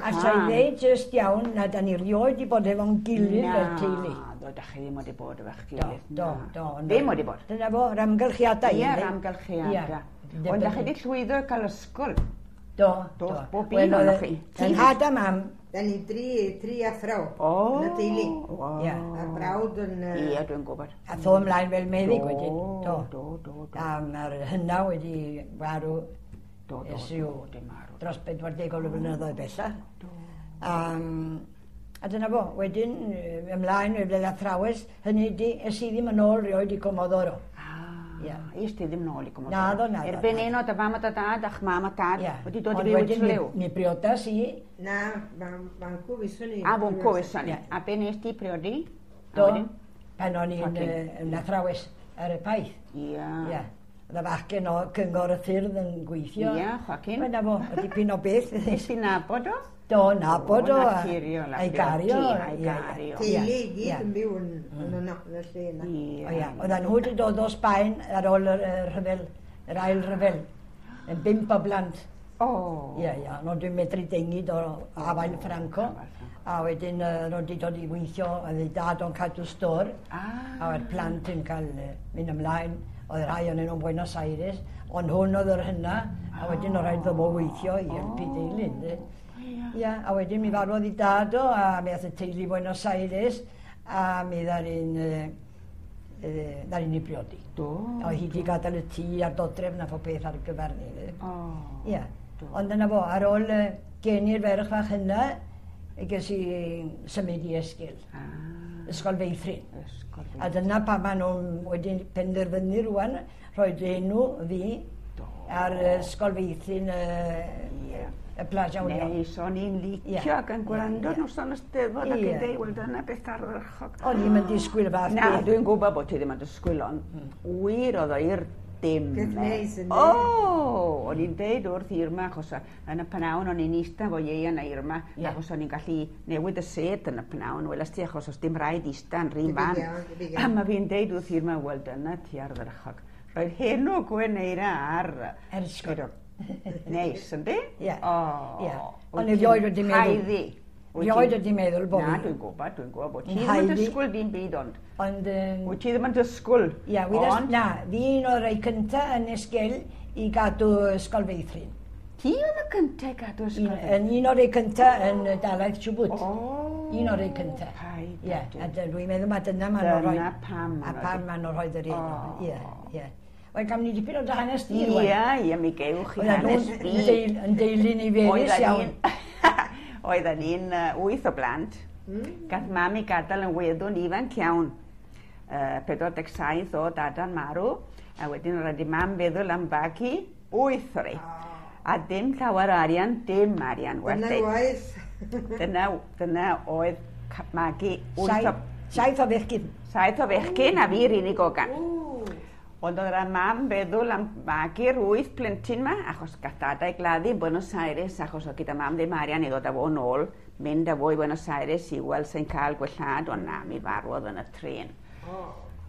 A sa i ddeud jyst iawn na da ni rioed 'di bod efo'n gilydd fel teulu. Na, do, da chi ddim wedi bod efo'ch gilydd. Do, do, do. Ddim wedi bod. Dyna fo, yr amgylchiadau. Ie, yr amgylchiadau. Ond da chi wedi llwyddo i cael ysgol. Do, do. Bob un ohonoch chi. Yn nhad a mam. Da ni dri athro o, yn y teulu. Ie. A'r brawd yn... Ie, dwi'n gwybod. A tho ymlaen fel meddyg wedyn. Do, do, do. A mae'r hynna wedi farw. Do, do, do, dim marw. Dros 40 o flynyddoedd bellach. Do. A dyna fo, wedyn ymlaen fel athrawes, hynny di, es i ddim yn ôl rioed i Comodoro. Ah, es ti ddim nôl i Comodoro? Naddo, naddo. Erbyn un o dy fam a dy dad a'ch mam a tad wedi dod i fyw i Trelew? Mi briodas i. Na, fancw fyswn i. A fancw fyswn i. A be nes ti priodi? Do, pan o'n i'n yn athrawes ar y paith. Ia. Oedd y fachgen o Cyngor y Ffyrdd yn gweithio. Ia, Joaquin. Wel, na fo, o dipyn o beth. Nes ti nabod o? Do, nabod o. Naturiol. A'i gario. A'i gario. Teulu i gyd yn byw yn y lle yna. O ia, oedden nhw wedi dod o Sbaen ar ôl yr rhyfel, yr ail rhyfel, yn 5 o blant. O. Ia, ia, nhw wedi medru dengid o afael Franco. A wedyn nhw wedi dod i weithio, oedd ei dad o'n cadw stôr. A oedd plant yn cael mynd ymlaen. Oedd rhai o'n nhw'n Buenos Aires, ond hwn oedd yr hynna, a wedyn oedd rhaid iddo fo weithio i helpu deulu. Ia, a wedyn mi farwodd ei dad o, a mi ath y teulu i Buenos Aires, a mi ddaru'n ni briodi. Do. Oedd hi wedi gadael y tŷ a'r dodrefn a phob peth ar gyfer ni. O. Ia, ond dyna fo, ar ôl geni'r ferch fach hynna, ges i symud i Esgil. Ysgol Feithrin. A dyna pa maen nhw'n wedi penderfynu rwan, rhoi enw fi ar Ysgol Feithrin y Plaza Union. Neis, o'n i'n licio ac yn gwrando noson y Steddfod ac yn deud, wel dyna beth ardderchog. O'n i'n mynd disgwyl y fath. Na, dwi'n gwybod bod ti ddim yn disgwyl, ond wir oedd o i'r dim. Beth neis yn O, o'n i'n deud wrth Irma, achos yn y pnawn o'n i'n eistedd efo Ieuan a Irma, achos o'n i'n gallu newid y sêt yn y pnawn, welas ti, achos os dim rhaid eistedd yn rhan fan. A mae fi'n deud wrth Irma, wel dyna ti ardderchog. Roedd henw Gwen Eira ar... Ysgol. Neis, yndi? Ie. O. Ond erioed wedi meddwl. Haeddu. Erioed wedi meddwl bod fi. Na, dwi'n gwybod, bod ti ddim yn dysgwyl dim byd ond. Ond... Wyt ti ddim yn dysgwyl. Ia, na, fi un o'r rhai cynta yn Esgil i gadw Ysgol Feithrin. Ti oedd y cynta i gadw Ysgol Feithrin? Un o'r rhai cynta yn Dalaith Chubut. O. Un o'r rhai cynta. Ie, a dwi'n meddwl mae dyna maen nhw'n rhoi... Dyna pam. A pam maen nhw'n rhoi yr un. Ie, ie. Wel, gam ni dipyn o dy hanes di, rwan. Ie, ie, mi gewch chi hanes fi. Yn deulu ni ferus iawn. Oedden ni'n 8 o blant. Gath mam i gadael yn weddw'n ifanc iawn. 47 o dada'n marw. A wedyn roedd i mam feddwl am fagu 8 o'r ei. A dim llawer o arian, dim arian. Dyna waith. Dyna oedd magu 8 o... 7 o fechgyn. 7 o fechgyn a fi'r unig ogan. Ond oedd yr mam feddwl am magu'r 8 plentyn ma, achos gath dada ei gladdu yn Buenos Aires, achos oedd gyda mam ddim arian i ddod â fo nôl, mynd â fo i Buenos Aires i weld sy'n cael gwellhad, ond na, mi farwodd yn y tren.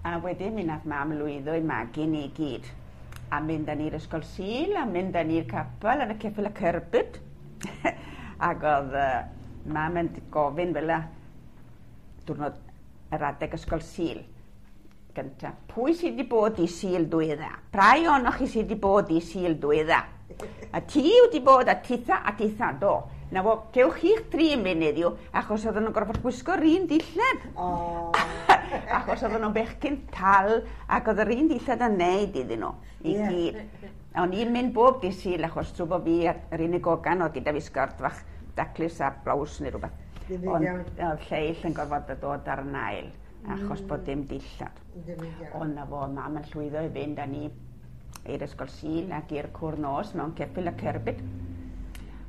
A wedyn mi nath mam lwyddo i magu ni i gyd. A mynd â ni'r ysgol Sul, a mynd â ni'r capel yn y ceffyl y cerbyd. Ac oedd mam yn gofyn fel y diwrnod yr adeg ysgol Sul. Gynta, pwy sydd wedi bod i Sul dwydda? Prai ohonoch chi sydd wedi bod i Sul dwydda? A ti wedi bod a titha a titha, do. Na fo, cewch chi'ch tri yn mynd heddiw, achos oedden nhw'n gorfod gwisgo'r un dillad. Achos oedden nhw'n bechgyn tal, ac oedd yr un dillad yn neud iddyn nhw, i gyd. A o'n i'n mynd bob di Sul, achos trwy bod fi yr unig ogan oedd gyda fi sgert fach daclus a blows neu rhywbeth. Ond oedd lleill yn gorfod dod ar yn ail, achos bod dim dillad. Ond na fo, mam yn llwyddo i fynd â ni i'r ysgol Sul ac i'r cwr nos mewn ceffyl a cerbyd.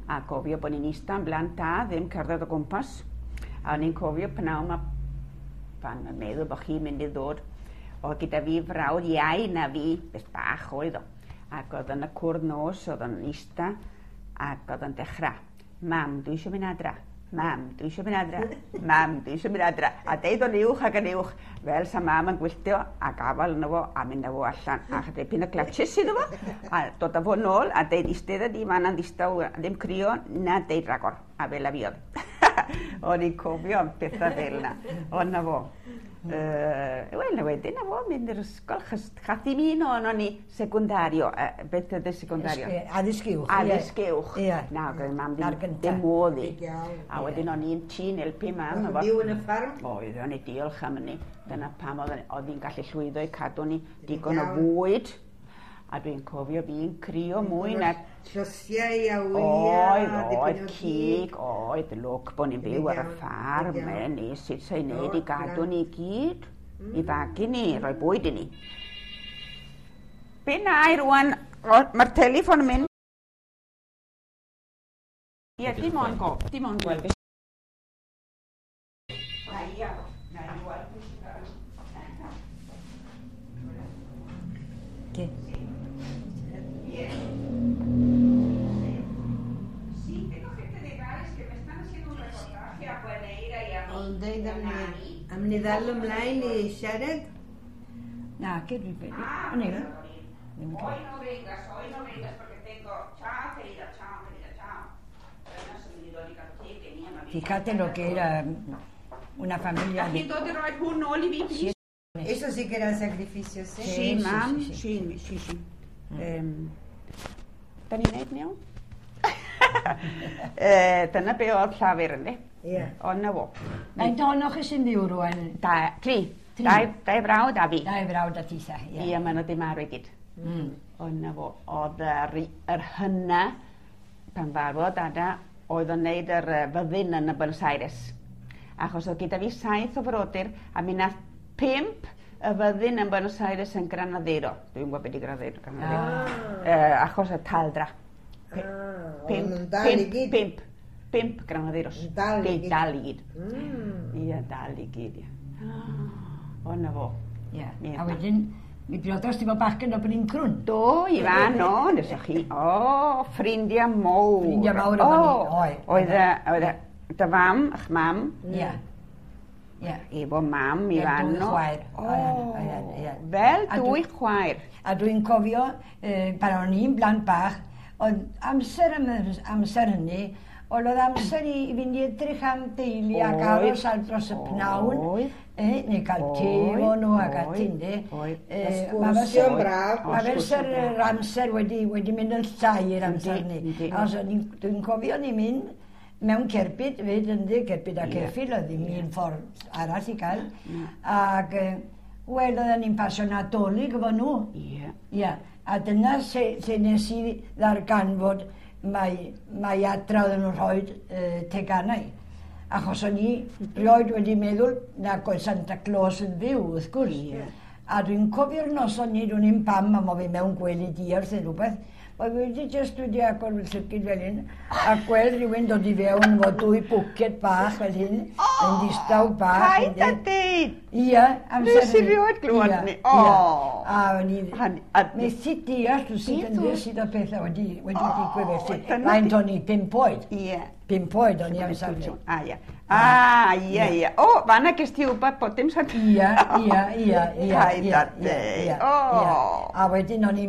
A gofio bod ni'n eistedd yn blant da, ddim cerdded o gwmpas. A o'n i'n cofio pnawn ma pan yn meddwl bod chi'n mynd i ddod, oedd gyda fi frawd iau na fi, beth bach oedd o. Ac oedd yn y cwr nos, oedd yn eistedd, ac oedd yn dechrau. Mam, dwi eisiau mynd adra. Mam, dwi eisiau mynd adra. Mam, dwi eisiau mynd adra. A deud o'n uwch ac yn uwch, fel sa mam yn gwylltio a gafal yno fo a mynd â fo allan. A dipyn o clutches iddo fo, a dod â fo nôl a deud eistedd di fan yn ddistaw, ddim crio na deud ragor. A fel a fi oedd. O'n i'n cofio am pethau fel yna. Ond na fo. Wel, wedyn na fo, mynd i'r ysgol, chos chath i'm un o'n ni secundario. Beth ydy secundario? Addysg uwch. Addysg uwch. Ie. Na, oedd mam Na'r ddim, gynta. ddim modd i. Iawn. A wedyn o'n i'n tîn helpu mam. O'ch efo- byw yn y ffarm? Oedd, o'n i diolch am hynny. Dyna pam oedd hi'n gallu llwyddo i cadw ni digon o Iawn. fwyd. A dwi'n cofio fi'n crio mwy na... Llysiau a wyau. Oedd, oedd, cig, oedd, lwc bod ni'n byw ar y Iawn, ffarm, iawn. ni, sut sa'i wneud O, i gadw iawn. ni gyd, i fagu ni, rhoi bwyd i ni. Be na i rwan, mae'r teleffon yn mynd. Ie, dim ond go, dim ond gweld beth. Na i ar, na i weld beth sy'n gael. Ke. Sí, tengo gente de Gales que me están haciendo un reportaje a Bueneira y a Ond deud am ni, am ni ddal ymlaen i siarad? Na, ke dwi'n credu. O'n i. Ddim yn Hoy credu. no vengas, hoy no vengas porque tengo... Chao, querida, chao, querida, chao. Dyna sy'n mynd i ddod i gael te gen i am y Fíjate lo que era una familia de... Chi'n dod i roi hwn nôl i fi, please? Eso sí que eran sacrificios, eh? Sí, Sí, sí, mam, sí, sí, sí, sí. Da ni'n neud yn iawn? Dyna be oedd llafur ynddi? Ie. Ond na fo. Faint ohonoch chi sy'n byw rwan? Da, tri. Tri. Dau frawd a fi. Dau frawd a titha, ie. Ie, maen nhw wedi marw i gyd. Ond na fo, oedd yr hynna, pan farwodd dada, oedd o'n neud yr fyddin yn y Buenos Aires. Achos oedd gyda fi 7 o frodyr, a mi nath 5 y fyddin yn Buenos Aires yn Granadero. Dwi'n gwybod beth di Granadero. Granadero. Achos y taldra. Ah, oedd nhw'n dal i gyd. 5 Granaderos. Yn dal i gyd. Dal i gyd. Ie, dal i gyd, ie. O, na fo. Ie. Ie. A wedyn, mi briodas ti fo bachgen o Bryn Crwn. Do, Ifan, o, nesoch chi. O, ffrindiau mawr. Ffrindiau mawr efo ni, oedd. Oedd, oedd, dy fam, a'ch mam, Ie. Ie. efo mam, Ie, Ifan. dwy chwaer. Oedden, oedden, ie. Fel A dwy chwaer. A dwi'n cofio, pan o'n i'n blant bach, oedd amser, am, amser hynny, oedd amser i fynd i edrych am deulu ac Oedd. aros ar dros y pnawn, Oedd. neu cael te Oedd, efo nhw ac oedd, ati, yndi. oedd. Ma' fel Sgwrsio'n braf. Ma' fel O, sy'r sgwrsio'n braf. yr amser wedi mynd yn llai i'r amser Yndi, ni. yndi. Achos o'n i'n- dwi'n cofio ni mynd mewn cerbyd, fyd yndi, cerbyd a ceffyl, oedd ddim un ffordd arall i gael. Ac, wel, oedden ni'n pasio Nadolig efo nhw. Ie. Ie, a dyna lle nes i ddarganfod mai adra oedden nhw'n rhoi teganau. Achos o'n i rioed wedi meddwl na oedd Santa Claus yn fyw, wrth gwrs. Ie. A dwi'n cofio'r noson ni, dwi'n i'n pam, a mo fi mewn gwely diarth neu rhywbeth, Mae wedi jyst wedi agor fy llygid fel hyn, a gweld rhywun dod i fewn efo dwy bwced bach fel hyn, yn ddistaw bach. Paid â yndi. deud! Ie, amser Nes i hynny. rioed glywed Ie, hynny. ie. O! A o'n i... Methu deall rhywsut Beth yn oedd- sut o pethau wedi O, digwydd felly. dyna Faint o'n i, 5 oed. Ie. 5 oed o'n i amser hynny. A, ie. A, ie, ie. O, fanna ges ti wybod bod dim Santa... Ie, ie, ie, ie, Paid ie, â ie, deud. ie, O! ie. A wedyn o'n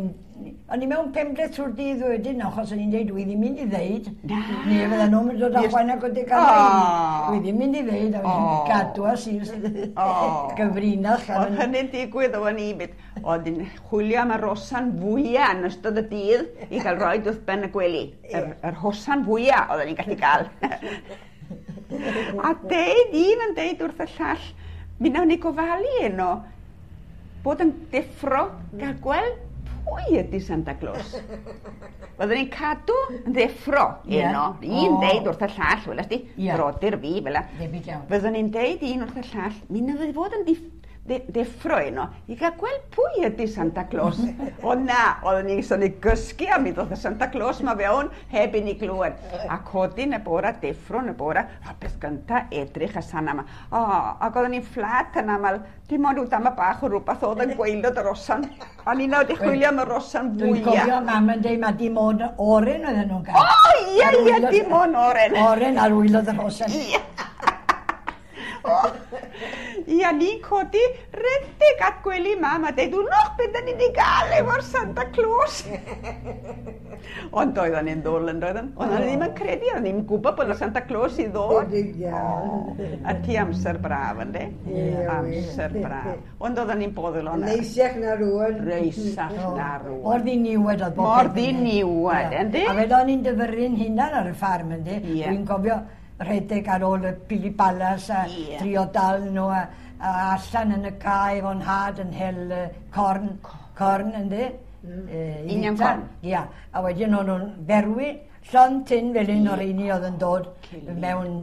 i mewn penbleth trwy'r dydd wedyn, achos o'n i'n deud, dwi ddim mynd i ddeud. Na. Neu fydden nhw'n mynd dod â Yes. chwaneg o deganau. O. Dwi ddim mynd i ddeud, a O. wedyn gadw a sir O. gyfrinach. a Oedd hynny'n digwydd o'n i byd. Oedd yn chwilio am y rosan fwya yn ystod y dydd i gael rhoi wrth ben y gwely. Yr hosan fwya oedden ni'n gallu gael. A deud un yn deud wrth y llall, mi nawn ni gofalu eno bod yn deffro gael gweld pwy ydy Santa Claus. Byddwn ni'n cadw yn ddeffro Ie. eno. Un O. deud wrth y llall, welas di, Ie. brodyr fi, fel Debyg iawn. Fyddwn ni'n deud un wrth y llall, mi na fydd fod yn Deffro un o, i gael gweld pwy ydy Santa Claus. O na, oedden ni'n sôn i gysgu a mi ddoth y Santa Claus ma fewn heb i ni glywed. A codi yn y bora, deffro yn y bora, a beth gynta edrych y sana yma. O, ac oedden ni'n fflat yn aml, dim ond rhyw dama bach o rhywbeth oedd yn gwaelod y rosan. A ni'n nawr wedi chwilio am y rosan fwyaf. Dwi'n cofio mam yn dweud mae dim ond oren oedden nhw'n gael. O, ie, ie, dim ond oren. Oren ar waelod y rosan. Ie. Ia, ni'n codi redeg at gwely mam a deud, wnnwch beth da ni wedi gael efo'r Santa Claus. Ond doedden ni'n ddwl yn doedden. Oedden ni ddim yn credu, oedden ni'n gwybod bod yna Santa Claus i ddod. A ti amser braf, ynddi? Amser braf. Ond oedden ni'n boddol o'na. Neisiach na rwan. Reisach na rwan. Mor ddiniwed oedd bob. Mor ddiniwed, ynddi? A fel o'n i'n dyfyru'n hunan ar y ffarm, ynddi? Dwi'n cofio rhedeg ar ôl y pili balas a trio dal nhw a allan yn y cae efo'n nhad yn hel corn, ynddi? Union corn? Ia. A wedyn o'n nhw'n berwi llond tin fel un o'r un oedd yn dod mewn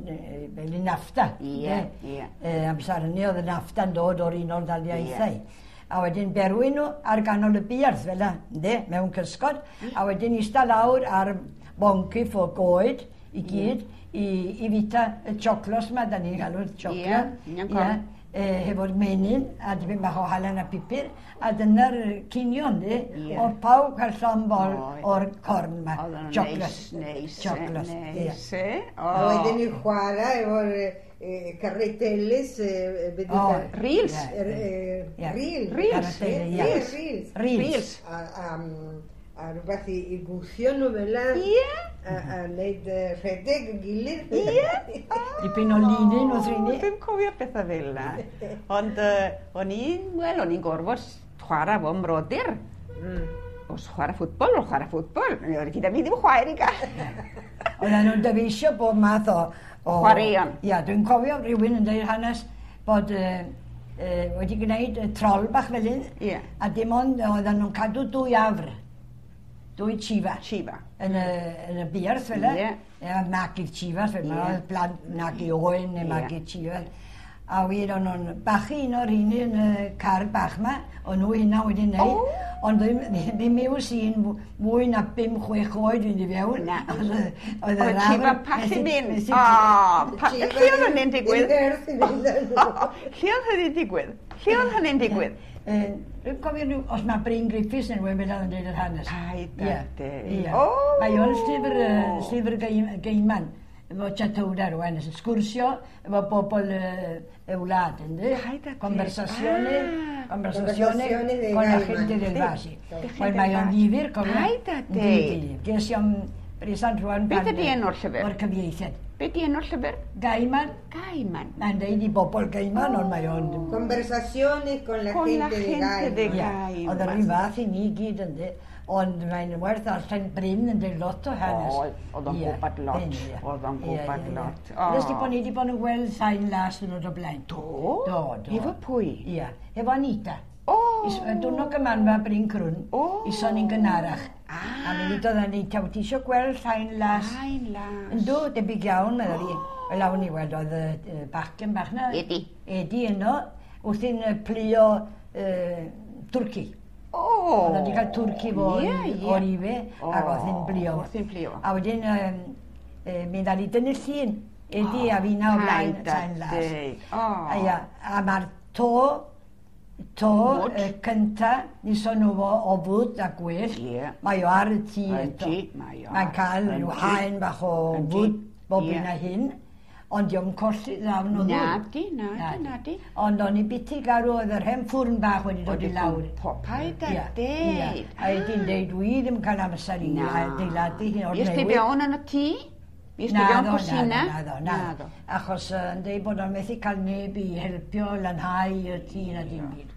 fel un nafta. Ie, ie. Amser hynny oedd y nafta'n dod o'r Unol Daleithiau. A wedyn berwi nhw ar ganol y buarth fel yna, ynddi, mewn cysgod. A wedyn eistedd lawr ar boncyff o goed i gyd i fita y sioclos yma, da ni'n galw'r sioclo. Ie, hefo'r menyn a dipyn bach o halen a pupur, a dyna'r cinio, yndi? Oedd pawb cael llond bol o'r corn yma. Oedd yn neis, neis, neis, e? A wedyn ni'n chwarae efo'r carreteles... Reels! Reels! Reels! Reels! A rhywbeth i gwthio nhw fel 'na. Ie! A wneud rhedeg yn gilydd. Ie! Dipyn o linyn wrth rini. Dwi'n cofio pethau fel 'na. Ond o'n i'n, wel, o'n i'n gorfod chwarae fo mrodyr. Os chwarae ffwtbol, o'n chwarae ffwtbol. Oedd gyda fi ddim chwaer i gael. Oedden nhw'n dyfeisio bob math o... Chwaraeon. Ia, dwi'n cofio rhywun yn dweud hanes bod wedi gwneud trol bach fel un. Ie. A dim ond oedden nhw'n cadw dwy afr. Dwy chifa. Chifa. Yn y buarth fel e. Ie. Magu chifa fel yna. Oedd plant magu oen neu magu chifa. A wir o'n nhw'n bachu un o'r rheini yn y car bach yma. O'n nhw hynna wedi wneud. Ond ddim i'w sy'n mwy na 5-6 oed fynd i fewn. Na. Oedd yr afr... Chifa pallu mynd. O, lle oedd hynny'n digwydd? Lle oedd hynny'n digwydd? Lle oedd hynny'n digwydd? Dwi'n cofio rhyw, os mae Bryn Griffiths yn rhywun fel yn dweud yr hanes. Paid a deud. Mae o'n llyfr Gaiman, efo Chatowda rwan, sgwrsio efo bobl y wlad, ynddi? Paid a deud. Conversazione con la gente del valle. Wel, mae o'n ddifyr, cofio. Paid a deud. Ges i o'n bresant rwan... Beth ydi enw'r llyfr? O'r cyfieithiad. Be di enw'r llyfr? Gaiman. Gaiman. Mae'n deud i bobl Gaiman, ond mae o'n... Conversaciones con la gente de Gaiman. Oedd yr un fath i ni gyd, yndi. Ond mae'n werth allan Bryn yn deud lot o hanes. Oedd o'n gwybod lot. Oedd o'n gwybod lot. Nes di bod ni wedi bod yn gweld sain las yn o'r blaen. Do? Do, do. Efo pwy? Ia, efo Anita. Diwrnod gymanfa Bryn Crwn, ison ni'n gynharach. A mi ddudodd Anita, wyt ti eisiau gweld llain las? Llain las. Yndw, debyg iawn, meddwl i. Wel, awn i weld, oedd y bachgen bach na. Edi. Edi yno, wrthi'n plio twrci. Oedd wedi cael twrci fo o'r ife, ac oedd hi'n blio. Wrthi'n blio. A wedyn, mi ddal i dynnu llun, Edi a finna o blaen llain las. A mae'r to cynta, nison nhw fo o fwyd a gwyllt, mae o ar y tŷ eto. Mae'n cael rhyw haen bach o fwyd bob un a hyn, ond dio'm colli ddawn o ddŵr. Nadi, nadi, nadi. Ond o'n i biti garw oedd yr hen ffwrn bach wedi dod i lawr. Paid a deud. A ydy'n deud, dwi ddim yn cael amser i adeiladu hyn o'r newydd. Is ti fewn yn y tŷ? Is ti fewn cwsina? Naddo, naddo. Achos yn deud bod o'n methu cael neb i helpio lanhau y tŷ na dim byd.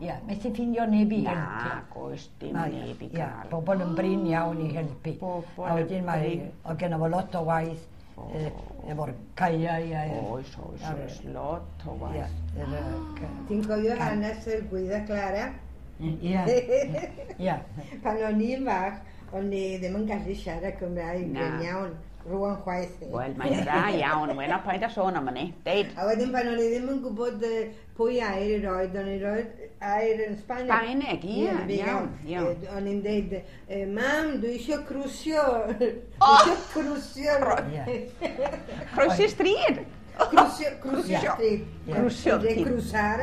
Ia, methu ffindio neb i helpu. Na, goes dim neb i gael. Bobl yn brin iawn i helpu. A wedyn mae, oedd genno fo lot o waith efo'r caeau. Oes, oes, oes, lot o waith. Ti'n cofio hanes y Gwydda Clara? Ia, ia. Pan o'n i'n fach, o'n i ddim yn gallu siarad Cymraeg yn iawn. rwan chwaith. Wel, mae'n dda iawn. Wel, paid â sôn am hynny. Deud. A wedyn pan o'n i ddim yn gwybod pwy air i roed, o'n i roed air yn Sbaeneg. Sbaeneg, ie, iawn, iawn. O'n i'n deud, mam, dwi eisiau crwsio. Dwi eisiau crwsio. Croesi stryd. Crwsio, crwsio stryd. Crwsio. Crwsar.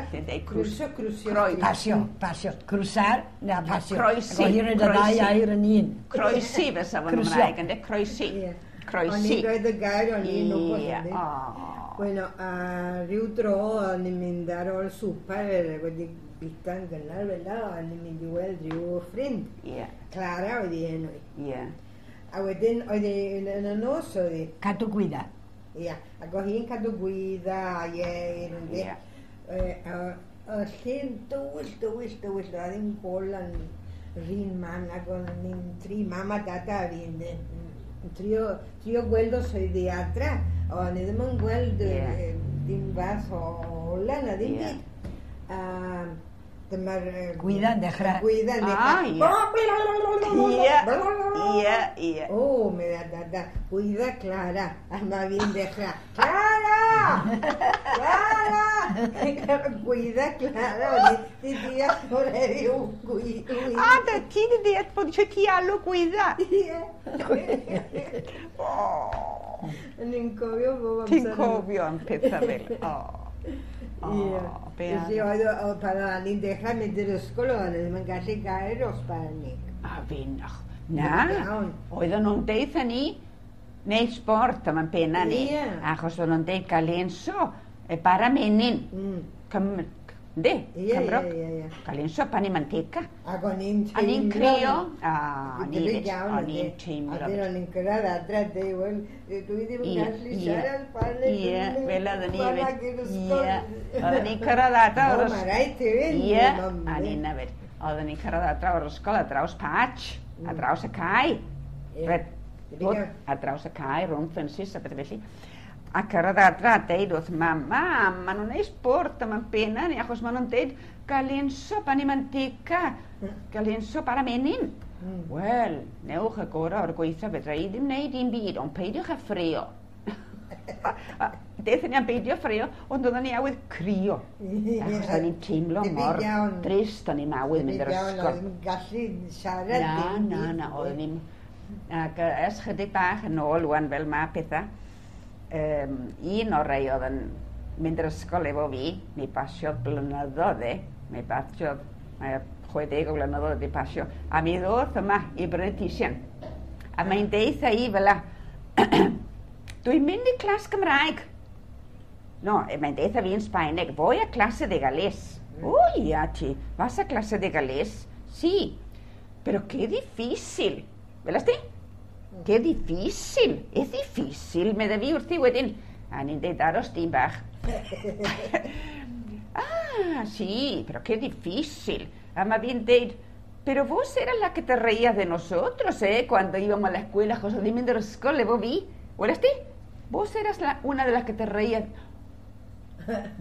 Crwsio, crwsio. Pasio, pasio. Crwsar, na pasio. Croesi. Ac o hir yn y ddau air yn un. Croesi fysa fo'n Gymraeg, ynddo? Croesi. Croesi. O'n i'n rhoid y gair, o'n i'n wybod. Bueno, a ryw dro o'n i'n mynd ar ôl swper wedi bita'n gynnar fel 'na, o'n i'n mynd i weld rhyw ffrind. Clara oedd hi enw hi. A wedyn oedd hi yn y nos oedd hi. Cadw gwydda. Ia, ac oedd hi'n cadw gwydda a ieir yndi. Y lle'n dywyll, dywyll, dywyll, oedd ddim gol yn rhan man ac o'n i'n tri mam a dada a fi yndi. Trio gweld os oedd hi adra, o'n i ddim yn gweld dim fath o ola na ddim byd. Dyma'r... Gwydda'n dechrau. Gwydda'n dechrau. Ie, ie, ie. O, medda dada, gwydda Clara, a mae fi'n dechrau. Clara! Clara! Gwydda Clara, o'n i di deall bod heddiw gwydda. A, da ti di deall bod eisiau ti alw gwydda. Ie. O'n i'n cofio bob amser. Ti'n cofio am pethau fel, o. Ie. Felly oedd pan o'n i'n dechrau mynd i'r ysgol o'n i ddim yn gallu gair o Sbaeneg. A fi'n, na, oedden nhw'n deud ni, neu sport am yn penna ni, achos oedden nhw'n deud galenso, e bara menyn, yndi, Cymro, galenso pan i manteca. Ac o'n i'n teimlo. A ni'n crio, o'n i'n teimlo. A dyn o'n i'n cyrraedd adre, dweud, wel, dwi ddim yn gallu siarad Sbaeneg. Ie, fel oedden ni hefyd. Ie, oedden ni'n cyrraedd adre o'r ysgol. O, mae rhaid ti fynd. Ie, a ni'n hefyd. Oedden ni'n cyrraedd adre o'r ysgol ar draws patch, ar draws y cae. Ar draws y cae, rhwng ffensys a bethau felly. A cyrraedd adra a deud wrth mam, mam, maen nhw'n neud sport am yn penna ni, achos maen nhw'n deud galenso pan i manteca, galenso para menyn. Wel, newch y gorau o'r gweithio, fedra i ddim wneud un byd, ond peidiwch â ffrio. Dethon ni am beidio ffrio, ond oedden ni awydd crio. Achos oedden ni'n teimlo mor drist, o'n i'n awydd mynd i'r ysgol. O'n i'n gallu siarad. Na, na, na, oedden ni'n... Ac ers chydig bach yn ôl wan fel ma pethau, un o'r rei oedd yn mynd i'r ysgol efo fi, mi basiodd blynyddoedd e, mi basiodd, mae 60 o blynyddoedd wedi pasio, a mi ddoth yma i brynu tisian. A mae'n deitha i fel a, dwi'n mynd i clas Gymraeg. No, mae'n deitha fi yn Sbaeneg, voy a clase de galés. O, ia ti, vas a clase de galés? Sí, pero qué difícil. Velas ti? Qué difícil, es difícil, medde fi wrthi wedyn. A ni'n deud aros dyn bach. Ah, sí, pero qué difícil. A mae fi'n deud, pero vos eras la que te reías de nosotros, cuando íbamos a la escuela, José, o'n i'n mynd i'r ysgol efo fi. Welas ti? Vos eras una de las que te reías.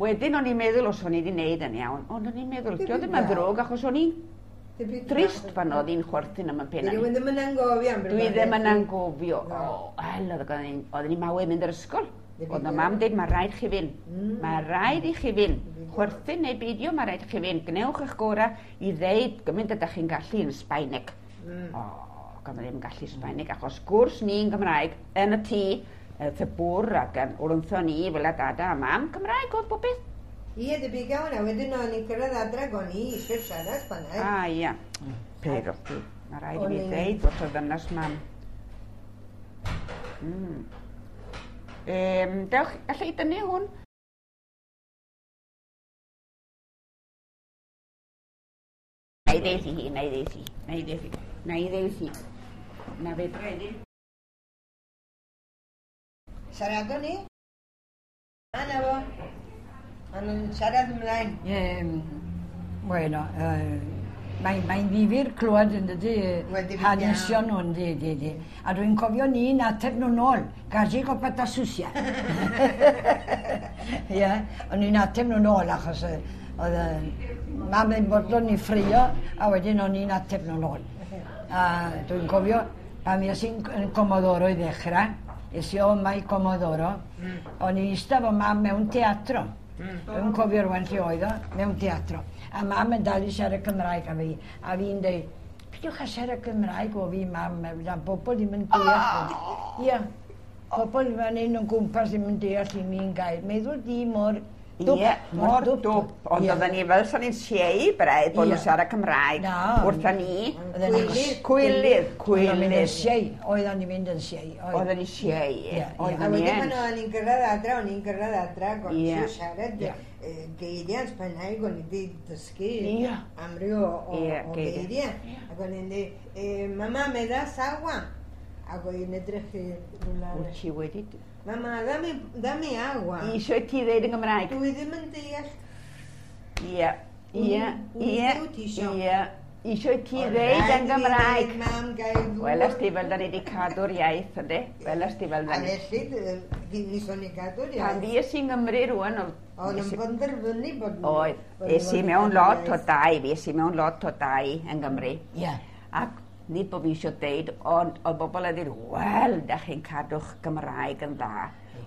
Wedyn o'n i'n meddwl os o'n i wedi wneud yn iawn, ond o'n i'n meddwl, dio ddim yn ddrwg achos o'n i'n trist pan oedd hi'n chwerthin am y penna. Dwi ddim yn anghofio am Dwi ddim yn anghofio. O, wel, oedden ni'n mawydd mynd i'r ysgol. Oedd na mam dweud, mae rhaid chi fynd. Mae rhaid i chi fynd. Chwerthin neu beidio, mae rhaid i chi fynd. Gwnewch eich gorau i ddeud gymaint ydych chi'n gallu yn Sbaeneg. O, gan ddim yn gallu Sbaeneg, achos gwrs ni'n Gymraeg yn y tŷ, y bwr ac yn wrtho ni fel a dada a mam, Cymraeg oedd bob beth. Ie, debyg iawn, a wedyn o'n i'n cyrraedd adra ac o'n i eisiau siarad Sbaeneg. A, ia. Pero, mae rhaid i mi ddeud wrth o ddynas mam. Dewch, allai i dynnu hwn? Na i ddeud i hi, na i ddeud i, na i ddeud i, na i ddeud i. Na fedra i ddim. Siaradon ni? A na fo. A nhw'n siarad ymlaen. Bueno, mae'n ddifyr clywed yn dydy, hanesion nhw yn dy. A dwi'n cofio ni'n ateb nhw'n ôl, gazi o patasusia. Ie, o'n i'n ateb nhw'n ôl achos oedd mam yn bodlon i ffrio a wedyn o'n i'n ateb nhw'n ôl. A dwi'n cofio pan fues i'n Comodoro i ddechrau, Es i o mai Comodoro, o'n i'n eistedd fo mam mewn teatro. Dwi'n cofio rwan lle oedd o, mewn teatro. A mam yn dal i siarad Cymraeg a fi, a fi'n deud, peidiwch â siarad Cymraeg o fi, mam, a bobl ddim yn deall. Ia, pobl fan hyn yn gwmpas ddim yn deall i mi'n gair. Meddwl di mor dwp. Ie, mor dwp. Ond oedden ni fel sa'n ni'n siei braidd bod nhw'n siarad Cymraeg wrtha ni. Cwylydd, cwylydd. Oedden ni'n siei, oedden ni'n mynd yn siei. Oedden ni'n siei, oedden ni yn. A wedyn pan oedden ni'n gyrraedd adra, o'n i'n gyrraedd adra, ac o'n i'n siarad geiriau yn Sbaeneg, o'n i wedi dysgu amryw o geiriau. Ac o'n i'n dweud, mama, me das agua? Ac o'n i'n edrych i rhywle. Wyt ti wedi... Mama, dame agua. Eisiau ti ddeud yn Gymraeg? Dwi ddim yn deall. Ie, ie, ie, ie. Eisiau ti ddeud yn Gymraeg? Mam, gael ddŵr. Wel, ti fel da ni wedi cadw'r iaith, ynddi? Wel, ti fel da ni. A felly, ni son i cadw'r iaith. Pan fi es i'n Nghymru rwan... Oedd yn benderfynu bod... Oedd. Es i mewn lot o dai, fi es i mewn lot o dai yn Gymru. Ie. Ac nid bod fi eisiau deud, ond oedd bobl yn dweud, wel, da chi'n cadw'ch Gymraeg yn dda.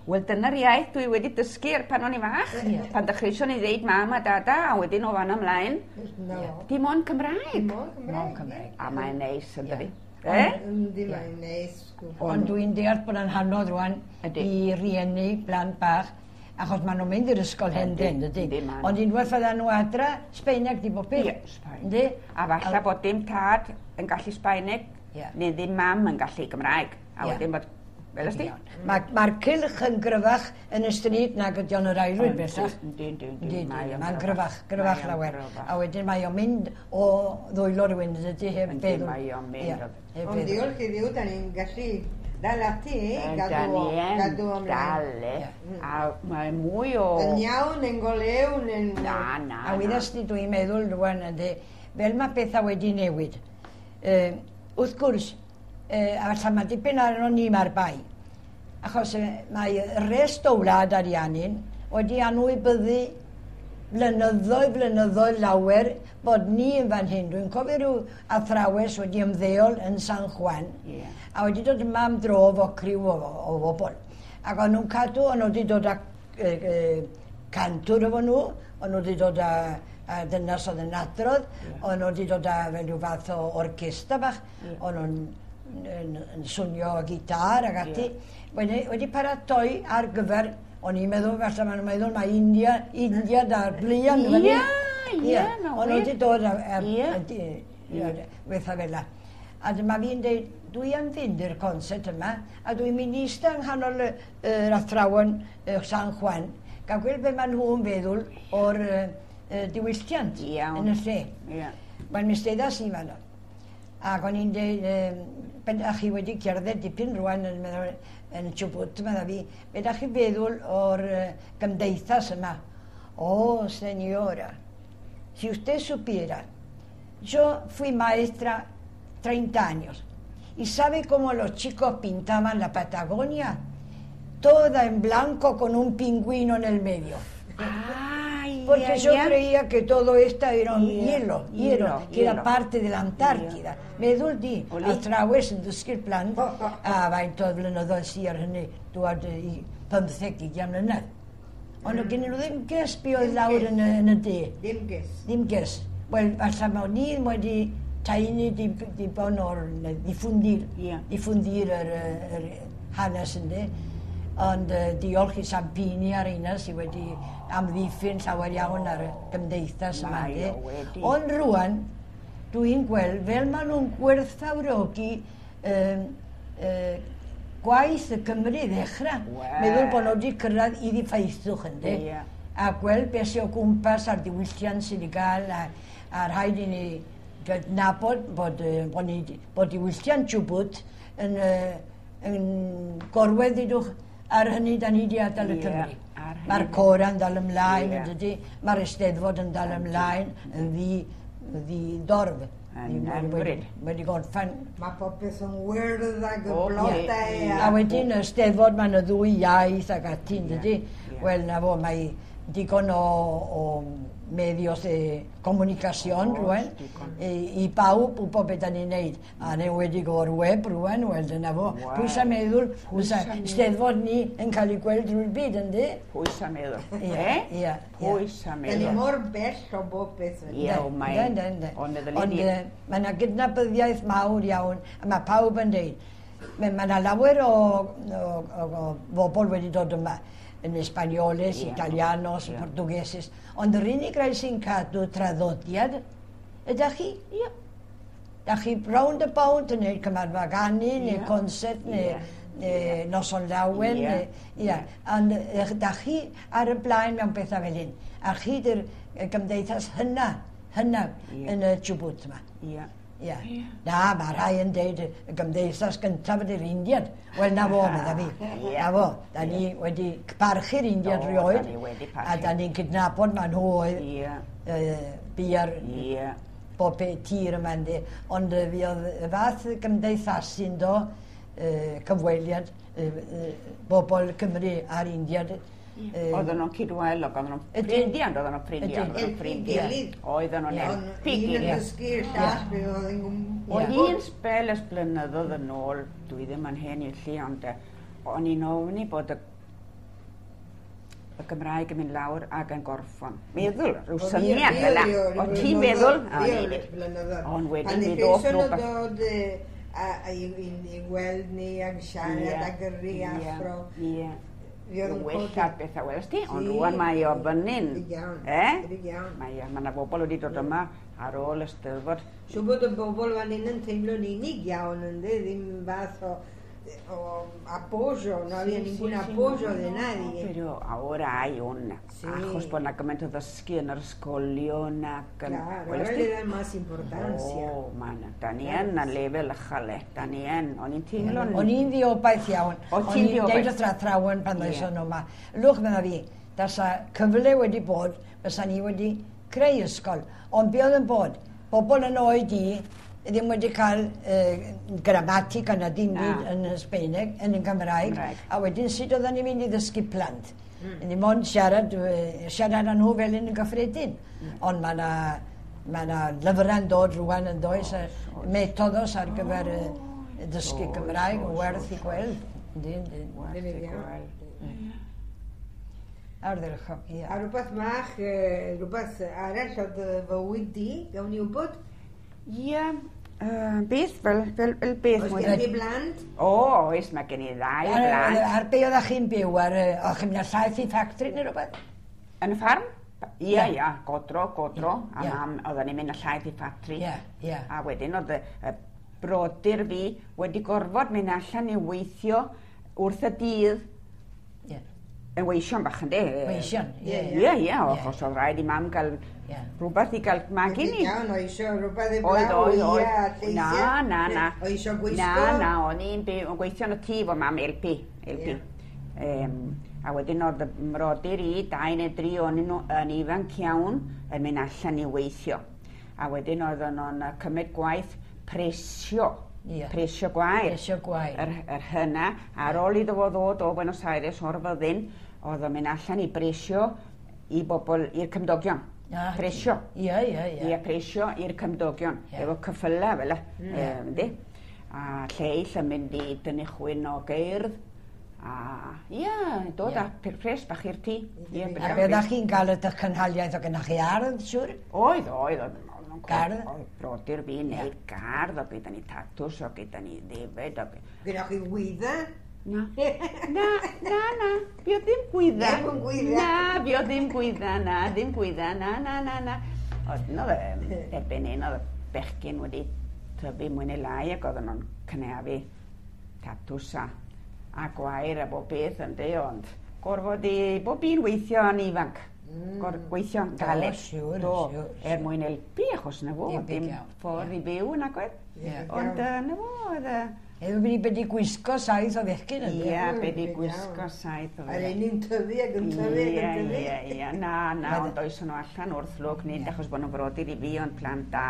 Wel, dyna'r iaith dwi wedi dysgu er pan o'n i fach. Pan dechreusion ni ddeud mam a dada, a wedyn o fan ymlaen. No. Dim ond Cymraeg. Dim ond Cymraeg. A mae'n neis, yn dydi? Yndi, mae'n neis. Ond dwi'n deall bod yn anodd rwan i rieni blant bach, achos maen nhw'n mynd i'r ysgol hen den, dydy? Ond unwaith fyddan nhw adra, Sbaeneg di bob peth. Ie, Sbaeneg. A falle bod dim tad yn gallu Sbaeneg, neu ddim mam yn gallu Gymraeg. A wedyn bod, fel ysdi? Mae'r cylch yn gryfach yn y stryd nag ydy o'n yr aelwyd bellach. Yndi, yndi, yndi. Mae'n gryfach, gryfach lawer. A wedyn mae o'n mynd o ddwylo rhywun, dydy, heb feddwl. Yndi, mae o'n mynd. Ond diolch i Dduw, da ni'n gallu dal ati, gadw ymlaen. Dal, e. A mae mwy o... Yn iawn, yn golewn, yn... Na, na, A wyddas di, dwi'n meddwl rwan, yndi, fel mae pethau wedi newid. Wrth gwrs, a falle mae dipyn arno ni mae'r bai. Achos mae rest o wlad Ariannin wedi anwybyddu blynyddoedd, blynyddoedd lawer bod ni yn fan hyn. Dwi'n cofio rhyw athrawes wedi ymddeol yn San Juan a wedi dod yma am dro fo criw o bobl. Ac o'n nhw'n cadw, o'n nhw wedi dod â cantwr efo nhw, o'n nhw wedi dod â dynas oedd yn adrodd, o'n nhw wedi dod â fel rhyw fath o orchestra bach, o'n nhw'n yn swnio gitar ac ati. Wedi paratoi ar gyfer, o'n i'n meddwl, falle maen nhw'n meddwl, mae India da'r blian. Ie, ie, O'n nhw wedi dod a bethau fel la. A dyma fi'n dweud, dwi am fynd i'r concert yma, a dwi'n mynd i eistedd yng nghanol yr athrawon San Juan, gael gweld be maen nhw'n feddwl o'r diwylliant yn y lle. Wel, mi steddas i fan. Ac o'n i'n dweud, a chi wedi cerdded dipyn rwan yn meddwl, yn Chubut, medda fi, be da chi feddwl o'r gymdeithas yma? Oh, señora, si usted supiera, yo fui maestra 30 años, y sabe cómo los chicos pintaban la Patagonia? Toda en blanco con un pingüino en el medio. Ay, Porque yo creía que todo esto era un hielo, que era parte de la Antártida. Meddwl di, athrawes yn dysgu'r plant, a faint o flynyddoedd sy ar hynny, dwad i 15-20 mlynedd. Ond oedd gen nhw ddim ges be oedd lawr yn y de. Ddim ges. Ddim ges. Wel, falle mae ni wedi taenu dibon o'r diffundir yr hanes ynddi. Ond diolch i Sampini a'r un sydd wedi amddiffyn llawer iawn ar y gymdeithas yma. Ond rwan, dwi'n gweld fel maen nhw'n gwerthfawrogi gwaith y Cymru ddechrau. Meddwl bod nhw wedi cyrraedd i ddiffaethwch ynddi. A gweld beth sydd o gwmpas a'r diwylliant sydd wedi gael a rhaid i ni gydnabod bod diwylliant Chubut yn gorwedd idwch ar hynny da ni wedi adael y Cymru. Mae'r cora'n dal ymlaen, yn dydy? Mae'r Eisteddfod yn dal ymlaen, yn ddi-dorf. Wedi gorffen. Mae popeth yn wyrdd ac y blodau. A wedyn y Eisteddfod, mae'n y ddwy iaith ac ati, yn dydy? Wel, na fo, mae digon o medios de comunicación rwan i pawb wybod beth da ni'n neud. A yn enwedig o'r web rwan, wel dyna fo. Pwy sa'n meddwl, fysa Steddfod ni yn cael ei gweld drwy'r byd, yndi? Pwy sa'n meddwl? Ie, ie. Pwy sa'n meddwl? Da ni mor bell o bob beth. Ie, o mae. Ond mae yna gydnabyddiaeth mawr iawn, a mae pawb yn deud. Mae yna lawer o bobl wedi dod yma, yn Españoles, Italianos, Portugueses, ond yr unig rai sy'n cadw traddodiad ydych chi. Ie. Da chi round about yn neud cymarfa ganu, neu concert, neu noson lawen. Ie. Ond da chi ar y blaen mewn pethau fel hyn. A chi dy'r gymdeithas hynna yn y Chubut yma. Ie. Ie. Na, mae rhai yn deud y gymdeithas gyntaf ydy'r Indiad. Wel, na fo, medda fi. Na fo. Da ni wedi parchu'r Indiad rioed. A da ni'n cydnabod ma nhw oedd bia'r bob tir yma yndi. Ond fi oedd y fath gymdeithasu ynddo, cyfweliad, bobl Cymru a'r Indiad. Oedden nhw'n cydwelog, oedden nhw'n ffrindiau, oedden nhw'n ffrindiau, oedden nhw'n ffrindiau. Oedden nhw'n helpu gilydd. Un yn dysgu'r llall, fe oedd yn gwybod. Oedd un sbel ers blynyddoedd yn ôl, dwi ddim yn hen i'r lle, ond o'n i'n ofni bod y Gymraeg yn mynd lawr ac yn gorffan. Meddwl, rhyw syniad fel 'na. O ti'n meddwl? Ond wedyn mi ddoth rhywbeth. I weld ni ag siarad ag gyrru afro. Wella bethau welst ti, ond rwan mae o fyny'n. Mae yna bobl wedi dod yma ar ôl y Steddfod. Siŵr bod y bobl fan hyn yn teimlo'n unig iawn, ynddi, ddim fath o apoyo, no había ningún apoyo de nadie. Pero ahora hay un, achos bod yna gymaint o ddysgu yn yr ysgolion ac... Claro, ahora le dan más importancia. O, ma' na, da ni yn a lefel uchel, da ni yn, o'n i'n teimlo'n... O'n i'n ddiobaith iawn. O'n i'n deud wrth athrawon pan ddoes nhw yma. Lwch, medda fi, dasa cyfle wedi bod, fysa ni wedi creu ysgol. Ond be oedd yn bod, bobl yn oed i, ddim wedi cael gramatig yna dim byd yn y Sbeineg, yn y Gymraeg, a wedyn sut oedden ni'n mynd i ddysgu plant. Ni mond siarad â nhw fel un yn gyffredin. Ond mae yna lyfrau'n dod rwan yn does, metodos ar gyfer dysgu Gymraeg yn werth i gweld. Werth i gweld. Ardderchog, ie. A rhywbeth mach, rhywbeth arall oedd fywyd di, gawn ni wybod? Ie, beth, fel beth. Oes gen ti blant? O, oes, mae gen i ddau blant. Ar be oeddech chi'n byw? Oeddech chi'n mynd â llaeth i ffactri neu rhywbeth? Yn y ffarm? Ie, ie, godro. A mam, oedden ni'n mynd â llaeth i ffatri. Ie, ie. A wedyn oedd y brodyr fi wedi gorfod mynd allan i weithio wrth y dydd. Ie. Yn weision bach, yndi? Weision, ie. Ie, ie, achos oedd rhaid i mam gael rhywbeth i gael magu ni. Iawn, oedd eisiau rhywbeth i blaw, ia, lleisiau. Na, na, na. Oedd eisiau gwisgo. Na, na, o'n i'n gweithio yn y tŷ fo mam, LP. A wedyn oedd y mrodyr i, 2 neu 3 o'n nhw yn ifanc iawn, yn mynd allan i weithio. A wedyn oedden nhw'n cymryd gwaith presio. Presio gwair. Presio gwair. Yr hynna, ar ôl iddo fo ddod o Buenos Aires o'r fyddin, oedd o'n mynd allan i bresio i bobl, i'r cymdogion. Presio. Ie, ie, ie. Ie, presio i'r cymdogion. Efo cyffyla fel yna. A lleill yn mynd i dynnu chwyn o geirdd. A ie, dod â pres bach i'r tŷ. A be oeddech chi'n gael ydych cynhaliaeth o gynnwch chi ardd, siŵr? Oedd, oedd. Gardd? Oedd brodyr fi wneud gardd, o gyda ni tatws, o gyda ni ddefed. Gyda chi gwydda? Na. Na, na, na. Fi oedd ddim gwydda. Ddim yn gwydda. Na, fi oedd ddim gwydda, na, ddim gwydda, na, na, na, na. Oedd, oedd, erbyn hyn, oedd y bechgyn wedi tyfu mwy neu lai ac oedden nhw'n cynaeafu tatws a gwair a bob beth yndi, ond gorfod i bob un weithio yn ifanc. Gweithio'n galed. Siŵr, Do, siŵr. Er mwyn helpu, achos na fo, dim ffordd i byw yn agwedd. Ond na fo, oedd... Efo wedi wedi gwisgo 7 o fechgyn ynddo? Ie, wedi gwisgo 7 o fechgyn. A un yn tyfu ac yn tyfu ac yn tyfu. Ie, ie, na, na, ond oes nhw allan wrth lwc, nid achos bod nhw'n frodyr i fi, ond plant da.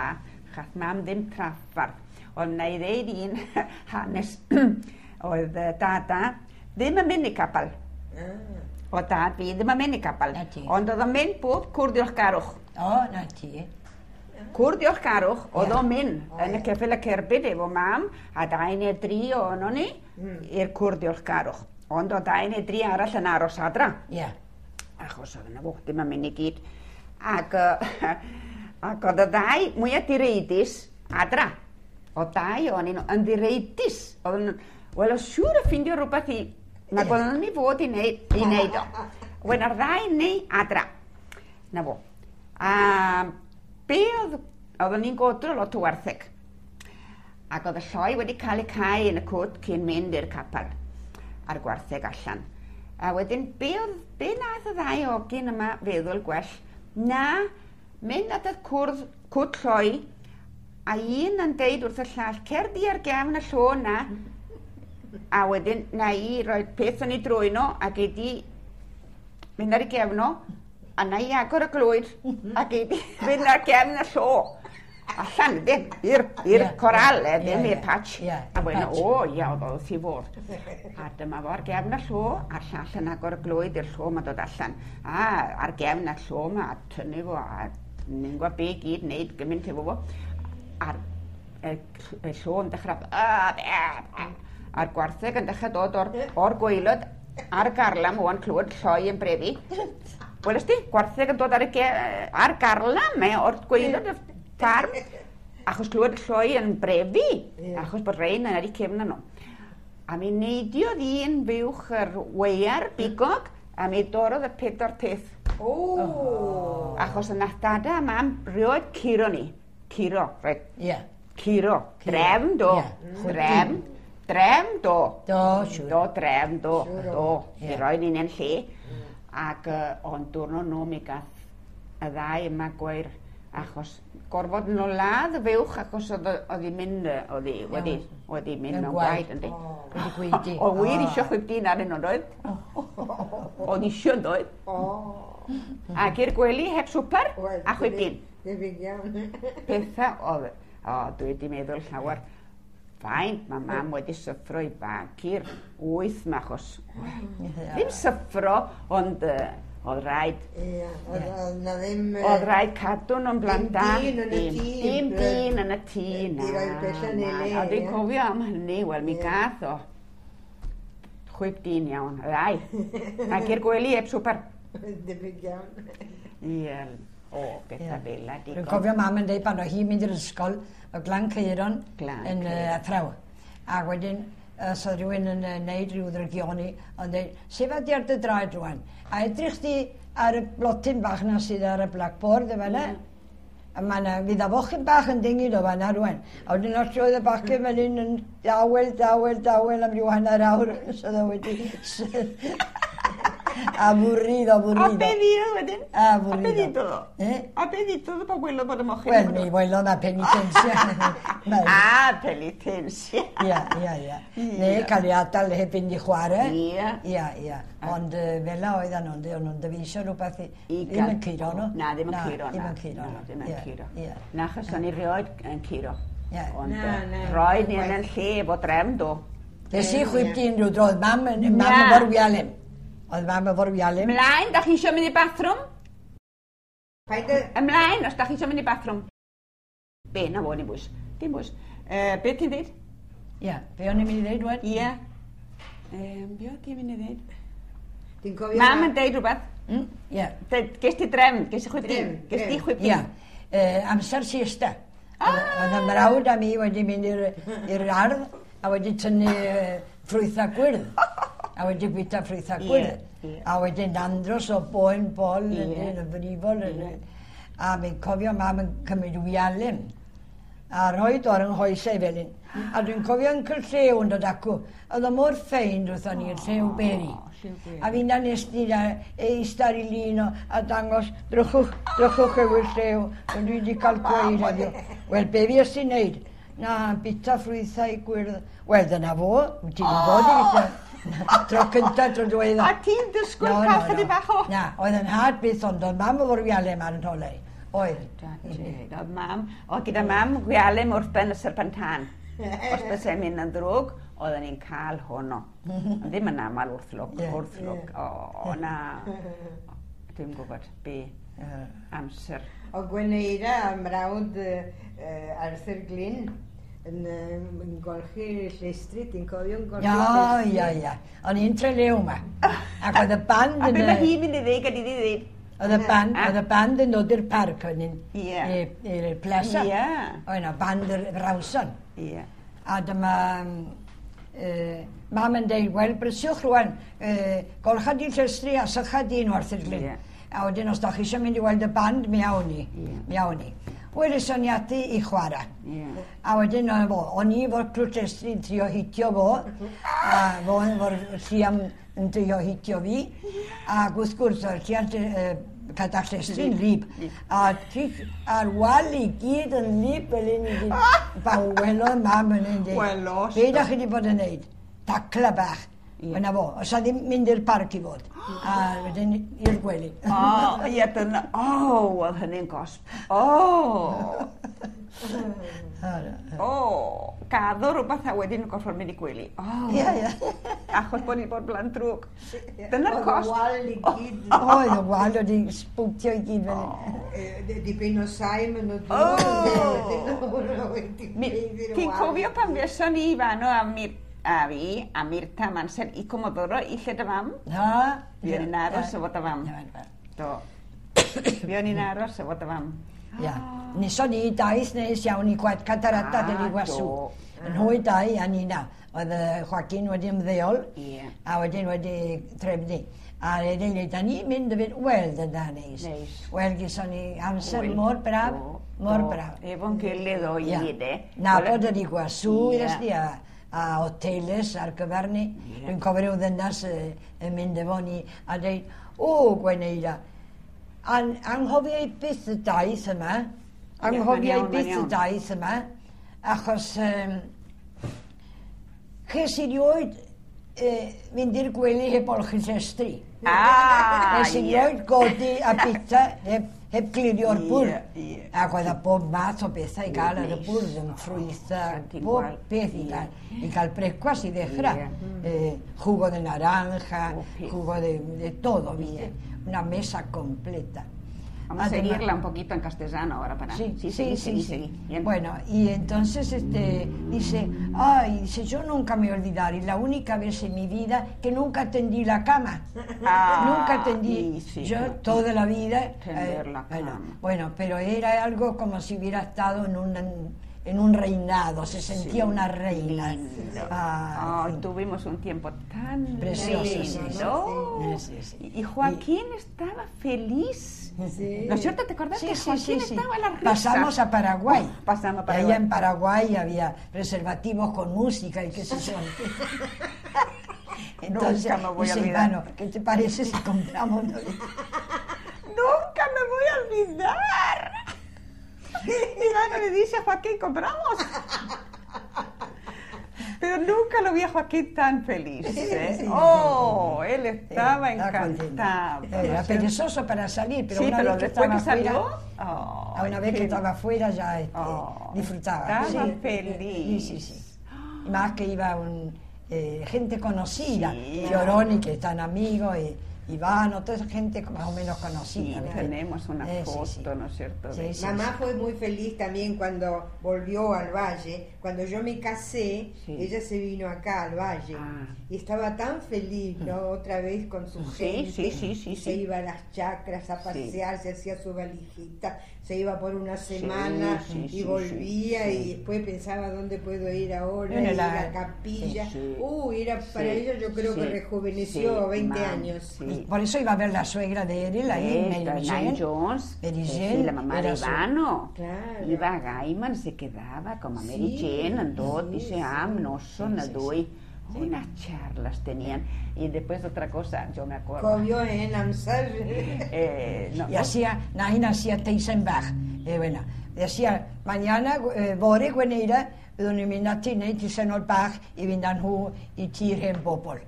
Chath mam ddim traffarth. Ond na i ddeud un hanes oedd dada ddim yn mynd i capel. O dad fi ddim yn mynd i gapel. Na ti. Ond oedd o'n mynd bob cwr diolchgarwch. O, na ti. Cwr diolchgarwch, oedd Ie. o'n mynd yn y ceffyl y cerbyd efo mam, a 2 neu 3 ohono ni i'r cwr diolchgarwch. Ond oedd 2 neu 3 arall yn aros adra. Ie. Achos oedd yna fo, ddim yn mynd i gyd. Ac, ac oedd y ddau mwyaf direidus adra. Oedd dau ohonyn nhw yn ddireidus. Oedd yn, wel, oedd siŵr o ffindio rhywbeth i... Nag oedd nhw'n i fod i wneud, i wneud o. Wen ar ddau neu adra. Na fo. A be oedd... Oedden ni'n godro lot o wartheg. Ac oedd y lloi wedi cael ei cau yn y cwt cyn mynd i'r capel a'r gwartheg allan. A wedyn, be nath y ddau ogyn yma feddwl gwell, na mynd at y cwt lloi, a un yn deud wrth y llall, cer di ar gefn y llo na, a wedyn na i roi peth yn ei drwyn o, a gei di mynd ar ei gefn o, a na i agor y glwyd, a gei di fynd ar gefn y llo. Allan, ddim, i'r coral, ddim i'r patch. Ie, A wedyn, patch. o, ia, oedd o wrth i fod. A dyma fo ar gefn y llo, a'r llall yn agor y glwyd i'r llo ma'n dod allan. A ar gefn y llo ma, a tynnu fo, a ni'n gwybod be i gyd wneud gymaint efo fo. A'r y llo yn dechrau, a'r gwartheg yn dechrau dod o'r gwaelod ar garlam o'n clywed lloi yn brefu. Welys di, gwartheg yn dod ar, ar garlam, o'r gwaelod y ffarm, achos clywed y lloi yn brefu, achos bod rhain yn ar eu cefn nhw. A mi neidiodd un fuwch yr weiar bigog, a mi dorrodd y 4 peth. O! Achos yna dada a mam rioed curo ni. Curo, reit. Ie. Curo. Drefn do. Ie. Drefn. Drefn do. Do, siŵr. Do, drefn do. Do. Ie. I roi ni'n ein lle. Ac ond diwrnod nhw mi gath y ddau yma gweir achos gorfod nhw ladd y fuwch achos oedd hi'n mynd, oedd hi wedi mynd Mewn mewn gwaed. gwaed, yndi. Wedi gwaedu. O wir isio chwip dyn arnyn nhw, doedd? Oedd isio, doedd? O! Ac i'r gwely heb swper Wel, a chwip dyn. Debyg iawn. Pethau oedd, o, dwi wedi meddwl llawer, faint mae mam wedi syffro i bagu'r 8 ma, achos, ddim syffro, ond oedd rhaid, Ie, oedd na ddim... oedd rhaid cadw nhw'n blant da. Dim dyn yn y tŷ. Dim dyn yn y tŷ, na. I roi'r pethau yn ei le, A dwi'n ie. cofio am hynny, wel, mi gath o chwip dyn iawn, y ddau. Ac i'r gwely heb swper. Debyg iawn. Ie, o, bethau fel la, Dwi'n digon. cofio mam yn dweud pan oedd hi'n mynd i'r ysgol, o Glan Ceiron Glan yn Ceiron. athraw. A wedyn, os oedd rhywun yn neud rhyw ddrygioni, ond dweud, sefa di ar dy draed rwan, a edrych di ar y blotyn bach na sydd ar y blackboard y fan'na. A ma' 'na, fydd a fochyn bach yn dingid o fan'na rwan. A wedyn os oedd y bachgen fan hyn yn dawel, dawel, dawel am ryw hanner awr, so oedd o wedi... Aburrido, A aburrido. be ddudodd wedyn? Aburrido. A be ddudodd o? Eh? A be ddudodd o pan welodd bod y mochyn? Wel, mi welodd na penitensia. A, penitensia. Ia, ia, ia. Neu cael ei adael heb fynd i chwarae. Ia. Ia, ia. Ond fel 'na oedden nhw'n o'n nhw'n dyfeisio rhywbeth i... I Ddim yn curo nhw. Na, ddim yn curo, na. Ddim yn curo Na, nhw. ddim yn Ie, curo. Ie. Na, achos o'n i rioed yn curo. Ie. Ond Na, na. roed ni yn yn lle efo drefn, do. Nes i chwip dyn rhyw dro, oedd mam yn mam Na. efo'r wialen. Oedd mam efo'r wialen. Ymlaen, da chi eisiau mynd i bathroom? Paid â... Ymlaen, os da chi eisiau mynd i bathroom. Be, na fo, dim bwys. Dim bwys. Be ti'n dweud? Ie, be o'n i'n mynd i ddeud rwan? Ie. Be o ti'n mynd i ddeud? Ti'n cofio... Mam yn deud rhywbeth. Ie. Ges ti drefn, ges ti chwip dyn. Drefn, Ges ti drefn. chwip Ie. dyn. Amser siesta. Oedd y mrawd a mi wedi mynd i'r ardd a wedi tynnu ffrwythau gwyrdd. A wedi bwyta ffrwythau Ie, gwyrdd. ie. A wedyn andros o boen bol yn Ie. yn y frifol. A mi'n cofio mam yn cymryd wialen a rhoi ar yng nghoesau fel un. A dwi'n cofio Uncle Llew yn dod acw. Oedd o mor ffeind wrthon ni, Llew Berry. Llew Berry. A fi'n nes di na eistedd ar ei lun o a dangos, drychwch, drychwch ewyll Llew, ond dwi wedi cael gweud heddiw. Wel, be fi ys ti'n neud? Na, bita ffrwythau gwyrdd. Wel, dyna fo, wyt ti'n bod i bita. Tro cynta, tro diwedda. A ti'n disgwyl cael chydig bach o... Na, oedd yn had byth, ond oedd mam efo'r wialen ar yn holau. Oedd. Oedd mam, o gyda mam wialen wrth ben y serpentan. Os bysai'n mynd yn ddrwg, Oedden ni'n cael honno. Ond ddim yn aml wrth lwc, wrth lwc. O, na. Dwi'n gwybod be amser. O Gweneira a mrawd Arthur Glyn yn golchi llestri, ti'n cofio'n golchi llestri? Ia, ia, ia. O'n i'n Trelew yma. Ac oedd y band yn... A be mae hi'n mynd i ddeud, gad iddi ddeud? Oedd y band, oedd y band yn dod i'r parc, o'n i'n i'r plaza. Oedd yna band yr Rawson. A dyma mam yn deud, wel, brysiwch rwan, golcha di llestri a sycha di nhw Arthur Glyn. A wedyn, os da chi eisiau mynd i weld y band, mi awn ni. Mi awn ni. Wel, eson ni ati i chwarae. A wedyn, o'n i efo'r clwt llestri yn trio hitio fo, a fo efo'r lliam yn trio hitio fi, ac wrth gwrs, o'r lliam cadach llestri'n lib. A a'r wal i gyd yn lib fel un i gyd. Pan welodd mam yn un dweud, be da chi wedi bod yn neud? Tacla bach. Yna fo, os a ddim mynd i'r parc i fod. A wedyn i'r gwely. O, ie, dyna, o, oedd hynny'n gosb. O! O, gaddo rhywbeth a wedyn gorfod mynd i gwely. O. Ie, ie. Achos bod ni bod blan drwg. Dyna'r cosb. Oedd y wal i gyd. Oedd y wal wedi sbwtio i gyd fel. Dipyn o saim yn y dŵr. Ti'n cofio pan fuoson ni fanno a a fi, a Mirta Mansell i Comodoro i lle dy fam? Na. Fuon ni'n aros efo dy fam. Do. Fuon ni'n aros efo dy fam. Ia. Neson ni daith neis iawn i Catarata del Iguazú. Yn hwy dau a Nina. Oedd Joaquin wedi ymddeol a wedyn wedi trefnu. A wedyn da ni'n mynd y fynd, wel, dyna neis. Wel, gyson ni amser mor braf, mor braf. Efo'n gilydd o i gyd, e. Nabod yr Iguazú, i a hoteles ar gyfer ni. Dwi'n cofio rhyw ddynas yn mynd efo ni a dweud, o, Gweneira, anghofiau byth y daith yma, anghofiau byth y daith yma, achos ches i rioed mynd i'r gwely heb olchi llestri. Nes i rioed godi a bita heb glirio'r bwrdd. Ac oedd a bob math o bethau i gael ar y bwrdd, yn ffrwythau, bob beth i gael. I gael brecwast i ddechrau. Jugo de naranja, jugo de todo, ¿viste? Una mesa completa. Vamos a seguirla un poquito en castellano ahora para... Sí, sí, sí, sí, sí. Bien. Bueno, y entonces dice, ay, dice, yo nunca me olvidaré, la única vez en mi vida que nunca tendí la cama. Nunca tendí, sí, yo toda la vida... Tender la cama. Bueno, pero era algo como si hubiera estado en un reinado, se sentía una reina. Ay, tuvimos un tiempo tan precioso, lindo. Sí, sí. Y Joaquín estaba feliz. Sí. ¿No es cierto? ¿Te acuerdas que Joaquín estaba en la risa? Pasamos a Paraguay. Pasamos a Paraguay. Allá en Paraguay había preservativos con música y qué sé yo. Entonces, nunca me voy a olvidar. Bueno, ¿qué te parece si compramos? Nunca me voy a olvidar. Ivano le dice a Joaquín, compramos. Pero nunca lo vi a Joaquín tan feliz. ¿Eh? Sí, oh, él estaba encantado. Era perezoso para salir, pero sí, una pero vez que después estaba que salió, fuera, una vez que estaba fuera ya disfrutaba. Estaba feliz. Sí, sí, sí. Y más que iba gente conocida, sí. Fioroni, que están amigos, y Ivano, toda esa gente más o menos conocida. Sí, tenemos una foto, sí, sí. ¿No es cierto? Sí, sí, Mamá sí. fue muy feliz también cuando volvió al valle. Cuando yo me casé, sí. ella se vino acá al valle. Ah. Y estaba tan feliz, ¿no? Otra vez con su gente. Sí, sí, sí, se sí. iba a las chacras a pasear, se hacía su valijita, se iba por una semana y volvía y después pensaba dónde puedo ir ahora, y la capilla. Sí, sí. Era para ella, yo creo que rejuveneció 20 años. Sí. Por eso iba a ver la suegra de él ahí, Mary Jane Jones, Mary Jane, sí, la mamá de Ivano. Claro. Iba a Gaiman, se quedaba con Mary Jane, andó, dice, no son sí. Unas charlas tenían. Y después otra cosa, yo me acuerdo. Comió en Amsel. No, y hacía, Nain hacía Teisenbach. Bueno, decía, mañana, bore Gweneira, byddwn ni'n mynd ati wneud teisennol bach i fynd â nhw i tir hen bobl.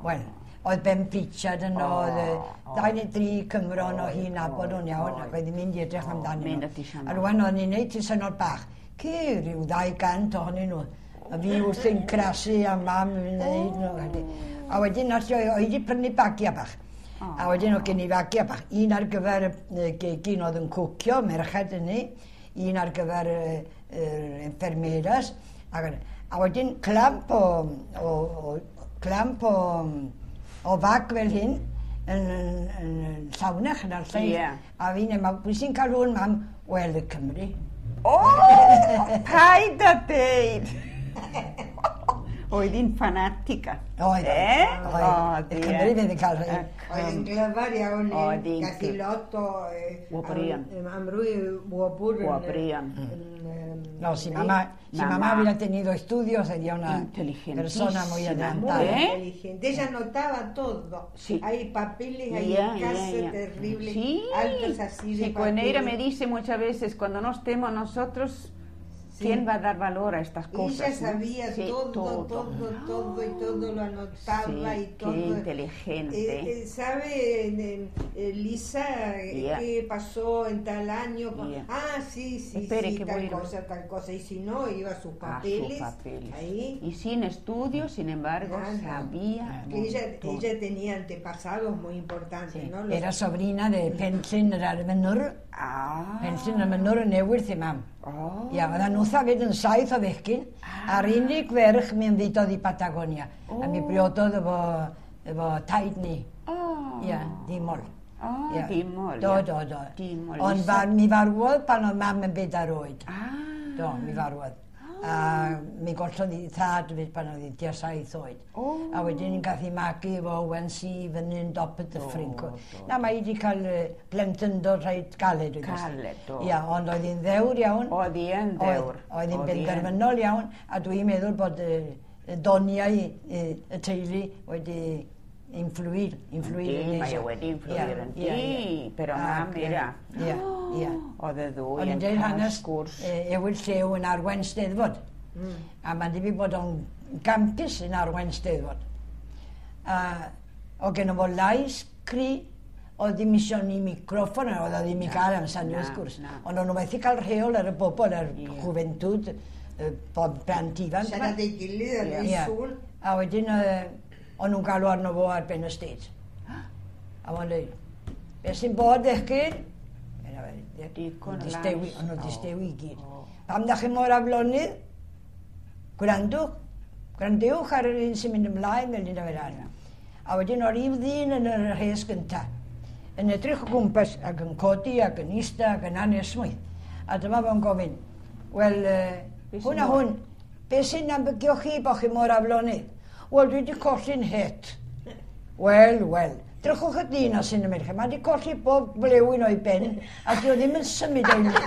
Bueno, oedd Ben Pritchard yno, oedd 2 neu 3 Cymro yno hi'n nabod nhw'n iawn, ac oedd hi'n mynd i edrych amdanyn nhw. A rwan oedd ni'n neud teisennol bach. Ce, rhyw 200 ohonyn nhw A fi wrthi'n crasu a mam yn neud nhw. A wedyn nath o, oedd wedi prynu bagiau bach. A wedyn oedd gen i fagiau bach. Un ar gyfer y gegin oedd yn cwcio, merched yn ni. Un ar gyfer yr enfermeras. A wedyn clamp o fag fel hyn yn llawnach yn ar lle. A fi'n meddwl, pwy sy'n cael hwn, mam? Wel, y Cymru. O! Paid a deud! Oedd hi'n fanatica. Oedd. Oedd. Y Cymru fydd yn cael rhai. Oedd hi'n glyfar iawn. Gath hi lot o... Wobrion. Amrwy wobr. Wobrion. No, si mamá hubiera tenido estudios sería una persona muy adelantada. Muy inteligente. Ella anotaba todo. Sí. Hay papeles ahí en casa terribles, altos así de Sí, papeles. Me dice muchas veces, cuando no estemos nosotros, ¿quién va a dar valor a estas cosas? Ella sabía todo, todo, y todo lo anotaba y todo. Qué inteligente. ¿Sabe, Lisa, qué pasó en tal año? Ah, sí, sí, Espere, sí, que tal cosa, tal cosa. Y si no, iba a sus papeles. Ahí. Y sin estudios, sin embargo, sabía. Que ella tenía antepasados muy importantes, ¿no? Era sobrina de Penllyn yr Arfenwr. Penllyn yr Arfenwr yn ewyll i mam. Ia, oedden nhw hefyd yn 7 o fechgyn, a'r unig ferch mi ymfudodd i Patagonia. A mi briododd efo taid ni. Ia, Dimol. Dimol. Do. Ond mi farwodd pan oedd mam yn 4 oed. Do, mi farwodd. A mi gollodd hi thad fyd pan oedd hi tua 7 oed. A wedyn ni'n gath hi magu efo Owen C fyny'n dop y dyffryn. Na, mae hi wedi cael plentyndod reit galed. Galed, do. Ia, ond oedd hi'n ddewr iawn. Oedd hi yn ddewr. Oedd hi'n benderfynol iawn, a dwi'n meddwl bod y doniau y teulu wedi influir. Yndi, mae o wedi influir, yndi. Pero mam era. Ia, ia. Oedd y ddwy yn cael sgwrs. Ewyll Llew yn arwain Steddfod. A mae'n debyg bod o'n gampus yn arwain Steddfod. A oedd gen fo lais cry, oedd ddim isio ni microffon, oedd o ddim i gael amser ni wrth gwrs. Ond o'n nhw methu cael rheol ar y bobl, ar juventud, bod plant ifanc. Siarad ei gilydd ar ei sŵn. A wedyn o'n nhw'n galw arno fo ar ben y stage. A fo'n dweud, beth sy'n bod ddechgyn? O'n nhw distewi i gyd. Pam da chi mor aflonydd? Gwrandwch. Gwrandewch ar yr un sy'n mynd ymlaen fel un o'r arall. A wedyn o'r un ddyn yn yr rhes gyntaf, yn edrych o gwmpas ac yn codi ac yn ista ac yn anesmwyth. A dyma fo'n gofyn, wel, hwn a hwn, beth sy'n ambygio chi bod chi mor aflonydd? Wel, dwi wedi colli'n het. Wel, wel. Drychwch y dyn os sy'n ymwneud. Mae wedi colli bob blewyn o'i ben, a dwi o ddim yn symud o'i le.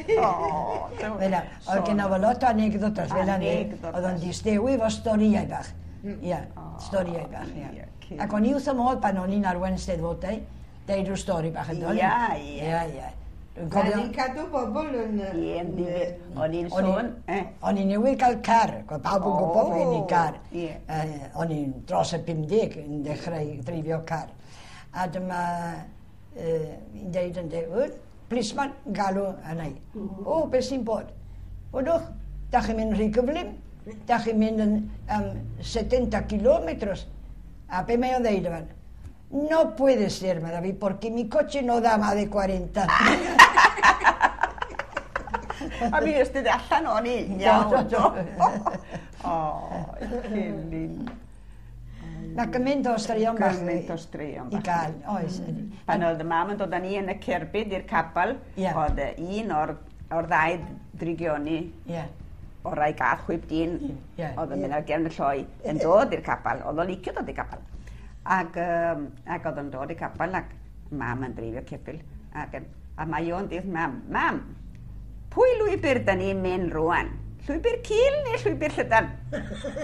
Fel oedd gen o lot o anegdotas fel yna. Oedd o'n distewi efo storïau bach. Ia, storïau bach, ia. Ac o'n i wrth y modd pan o'n i'n arwain Steddfodau, deud rhyw stori bach yn dod. Ia, ia. Ia, ia. O'n i'n cadw bobl yn... Ie, yn ddifyr. O'n i'n sôn... O'n i'n newydd cael car, oedd pawb yn gwybod bod gen i car. O'n i'n dros y 50 yn dechrau dreifio car. A dyma i'n deud yn deud, plisman yn galw yna i. O, beth sy'n bod? Wydwch, da chi'n mynd rhy gyflym, da chi'n mynd yn 70 kilometros. A be mae o'n ddeud yma? No puede ser, me David, porque mi coche no da más de 40. A mi ystod allan o'n i. Iawn, do. O, Celyn. Mae gymaint o straeon bach. Gymaint o straeon bach. I gael, oes. Pan oedd y mam yn dod â ni yn y cerbyd i'r capel, oedd un o'r ddau drigioni, o'r rai gath chwip dyn, oedd yn mynd ar gefn y lloi, yn dod i'r capel. Oedd o'n licio dod i'r capel. Ac oedd yn dod i'r capel, ac mam yn dreifio ceffyl, a mae o'n dweud, mam, mam, pwy lwybr da ni'n mynd rwan? Llwybr cul neu llwybr llydan?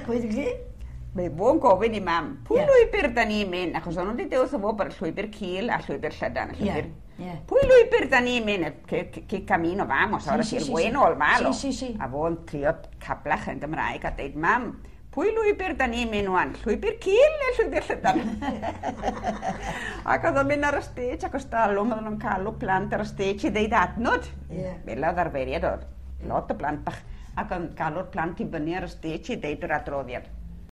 Pwy ddweud chi? Mae fo'n gofyn i mam, pwy lwybr da ni'n mynd? Achos o'n nhw wedi dewis o fo bod llwybr cul a llwybr llydan. Pwy lwybr da ni'n mynd? Que camino vamos, ahora si el bueno o el malo. A fo'n trio cablach yn Gymraeg a dweud, mam, Pwy lwybr da ni'n mynd wan? Llwybr cil neu llwybr llydan? Ac oedd o'n mynd ar y stage ac os dalwm oedden nhw'n calw plant ar y stage i ddeud adnod. Ie. Fel oedd arferiad oedd. Lot o blant bach. Ac o'n galw'r plant i fyny ar y stage i ddeud yr adroddiad.